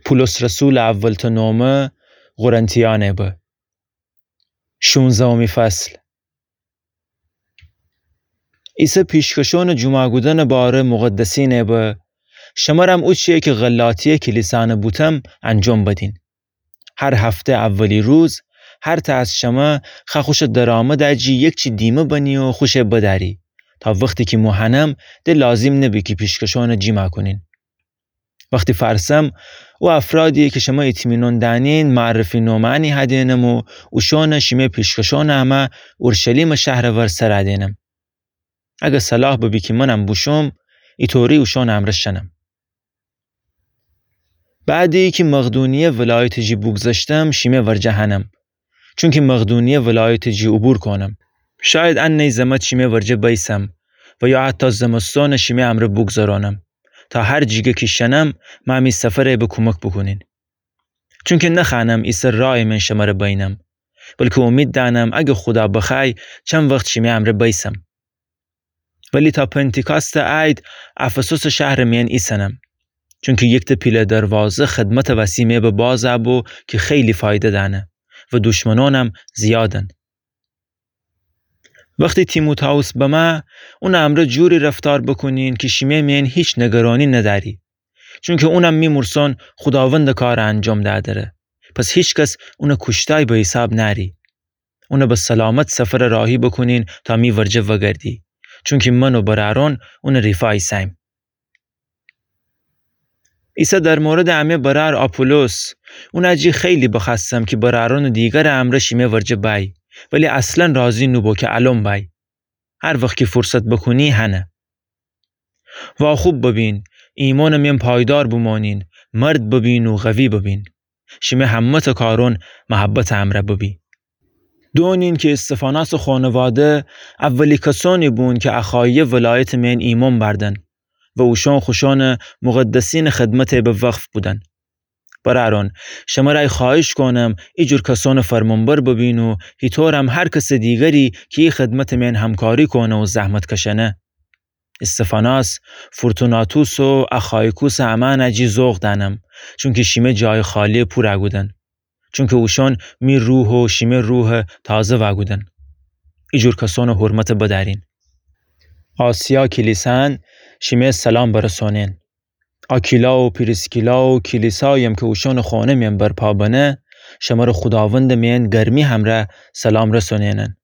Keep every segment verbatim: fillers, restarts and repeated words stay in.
پولس رسولٚ اولتأ نومه قرنتیأنه به. شونزدهمی فصل. عیسی پیشکشونٚ جومعه کودنٚ باره مقدسینه به، شمرم اوچیی کی غلاطیه کلیسانٚ بوتم انجام بدین. هر هفته اولی روز، هر تأ از شمه خوأ خوشٚ درآمدٚ جی یکچی دیمه بنی و خوشٚ بدأری، تا وختی کی مو هنم، د لازیم نبی کی پیشکشونٚ جیمعه کونین. وختی فأرسم، او افرادیی کی شمه ایطمینان دأنین، معرفی نومأنی هدینم و اوشأنَ شیمه پیشکشونٚ امه اورشلیمٚ شهرٚ ور سر دینم. اگر صلاح ببی کی منم بوشوم، ایطوری اوشأنٚ امرأ شنم. بعدی کی مقدونیه ولایتٚ جی بوگذشتم، شیمه ورجه هنم، چونکی مقدونیه ولایتٚ جی عبور کونم. شاید انهی زمت شیمه ورجه بیسم و یا حتی زمستونَ شیمه امرأ بوگذرانم، تا هر جیگه کی شنم، مه می سفرَ به کومک بوکونین. چونکی نخوأنم ایسه رایٚ من شمره بینم، بلکی اومید دأنم اگر خودا بخوأی، چند وخت شیمه امرأ بیسم. ولی تا پنطیکاستٚ عید افسوسٚ شهرٚ میأن ایسنم، چونکی یکتأ پیله دروازه خدمتٚ وسی می به باز بو کی خیلی فایده دأنه و دوشمنونم زیادن. وختی تیموتائوس بمه، اونٚ امرأ جوری رفتار بوکونین کی شیمه میأن هیچ نگرانی ندأری، چونکی اونم می مورسون خوداوندٚ کارَ انجام دأ دره. پس هیچکس اونَ کوشتای به حیساب نأری. اونَ به سلامت سفرَ راهی بوکونین تا می ورجه وگردی، چونکی من و برأرون اونٚ ریفا ایسه‌ییم. عیسی در موردٚ امه برأر آپولوس، اونٚ جی خیلی بخوأستم کی برأرونٚ دیگرٚ امرأ شیمه ورجه بأی، ولی اصلا راضی نوبو کی الأن بأی. هر وخت کی فرصت بوکونی هنه. واخوب ببین، ایمانٚ میأن پایدار بمانین، مرد ببین و قوی ببین. شیمه همه‌تأ کارون محبتٚ امرأ ببی. دونین کی استفاناسٚ خانواده اولی کسأنی بون کی اخاییه ولایتٚ میأن ایمأن بأردن و اوشأن خوشأنٚ مقدسینٚ خدمتَ به وقف کودن. برأرون، شمرأ خوأهیش کونم ایجور کسأنٚ فرمانبر ببین و هیطورم هر کسٚ دیگری کی ای خدمتٚ میأن همکاری کونه و زحمت کشأنه. استفاناس، فورتوناتوس و اخایکوسٚ امأنٚ جی ذوق دأنم، چونکی شیمه جایٚ خالیَ پورَ کودن. چونکی اوشأن می روح و شیمه روحَ تازه وأکودن. ایجور کسأنٚ حرمتَ بدأرین. آسیا کلیسأن شیمه سلام برسونین. آکیلا و پریسکیلا و کلیساییم کی اوشأنٚ خانه میأن برپا بنه، شمره خوداوندٚ میأن گرمی همرأ سلام رسونینن.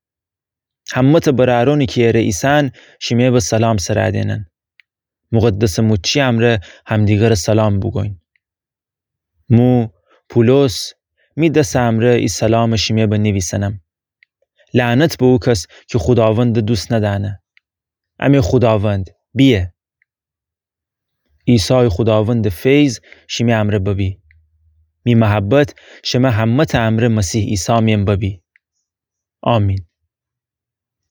همه‌تأ برأرونی کی ایره ایسن شیمه به سلام سر دینن. مقدسٚ موچی امرأ همدیگرَ سلام بوگوین. مو، پولس، می دسٚ امرأ ای سلامَ شیمه به نیویسنم. لعنت به او کس کی خوداوندَ دوست ندأنه. امه خوداوند بیه. عیسایٚ خوداوندٚ فیض شیمه امرأ ببی. می محبت شمه همه‌تأ امرأ مسیح عیسی میأن ببی. آمین.